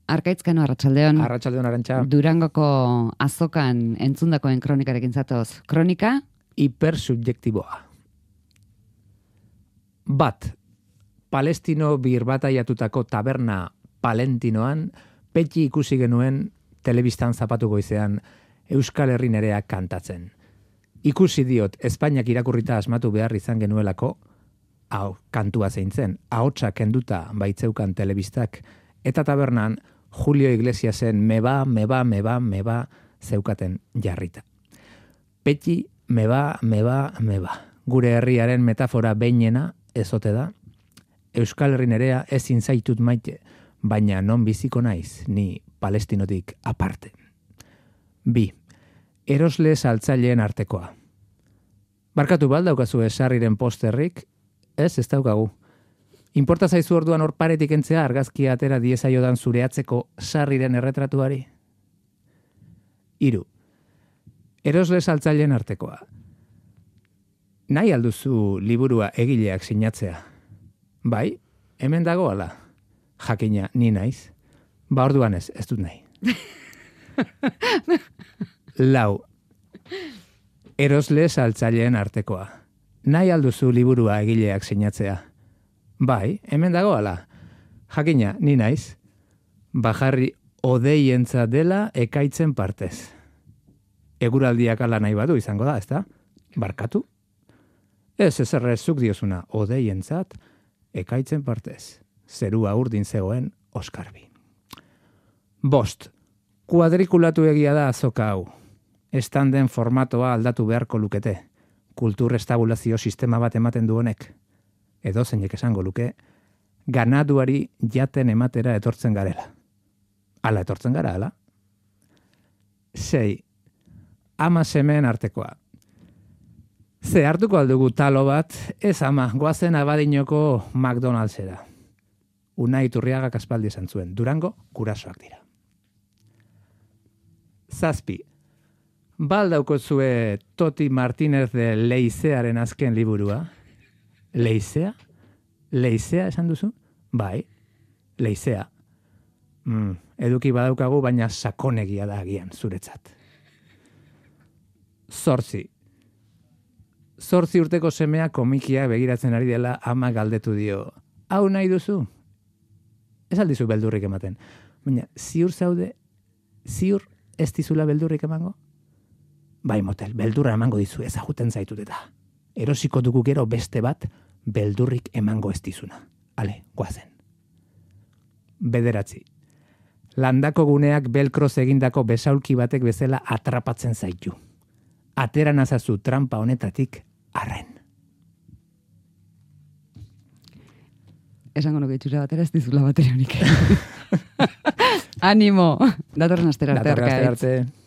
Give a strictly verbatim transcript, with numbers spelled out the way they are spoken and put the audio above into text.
Arkaitzkano, arratsaldeon. Arratsaldeon, Arantxa. Durangoko azokan entzundakoen kronikarekin zatoz. Kronika? Hipersubjektiboa. Bat, Palestino birbataiatutako taberna Palentinoan, petxi ikusi genuen telebistan zapatu goizean Euskal Herri nerea kantatzen. Ikusi diot, Espainiak irakurrita asmatu behar izan genuelako, hau, kantua zeintzen, ahotsa kenduta baitzeukan telebistak, eta tabernan Julio Iglesiasen meba, meba, meba, meba zeukaten jarrita. Petxi, meba, meba, meba. Gure herriaren metafora beinena ezote da. Euskal Herri nerea ezin zaitut maite, baina non biziko naiz, ni Palestinotik aparte. Bi, erosle saltzaileen artekoa. Barkatu baldaukazu esarriren posterrik, ez ez daukagu. Inporta zaizu orduan hor paretik entzea argazkia atera diezaiodan zure atzeko sarriren erretratuari? Hiru, erosle saltzaileen artekoa. Nahi alduzu liburua egileak sinatzea? Bai, hemen dago ala. Jakina, ni naiz. Ba orduan ez, ez dut nahi. Lau, erosle saltzaileen artekoa. Nahi alduzu liburua egileak sinatzea? Bai, hemen dago ala. Jakina, ni naiz. Bajarri odeientza dela ekaitzen partez. Eguraldiak ala nahi badu izango da, ezta? Barkatu? Ez ezerrezuk diozuna, odeientzat ekaitzen partez. Zerua urdin zegoen Oskarbi. Bost, kuadrikulatu egia da azoka hau. Estanden formatoa aldatu beharko lukete. Kultur estabulazio sistema bat ematen du honek. Edo zeinek esango luke, ganaduari jaten ematera etortzen garela. Ala etortzen gara, ala? Sei, ama semeen artekoa. Ze hartuko aldugu talo bat, ez ama, goazen Abadinoko McDonald'sera. Unai Iturriagak aspaldi esan zuen, Durango gurasoak dira. Zazpi, baldauko zue Toti Martínez de Leizearen azken liburua. Leizea? Leizea esan duzu? Bai, Leizea. Mm, eduki badaukagu, baina sakonegia da agian zuretzat. Zortzi. Zortzi urteko semea komikia begiratzen ari dela ama galdetu dio. Hau nahi duzu? Ez aldizu beldurrik ematen. Baina, ziur zaude, ziur ez dizula beldurrik emango? Bai, motel, beldurra emango dizu, ezaguten zaitut eta. Erosiko dugu gero beste bat, beldurrik emango ez dizuna. Ale, guazen. Bederatzi. Landako guneak belkroz egindako besaulki batek bezala atrapatzen zaitu. Atera nazazu trampa honetatik arren. Esango nuke itxura batera ez dizula bateria honik. Animo! Datorren astera arte. Datorren astera arte.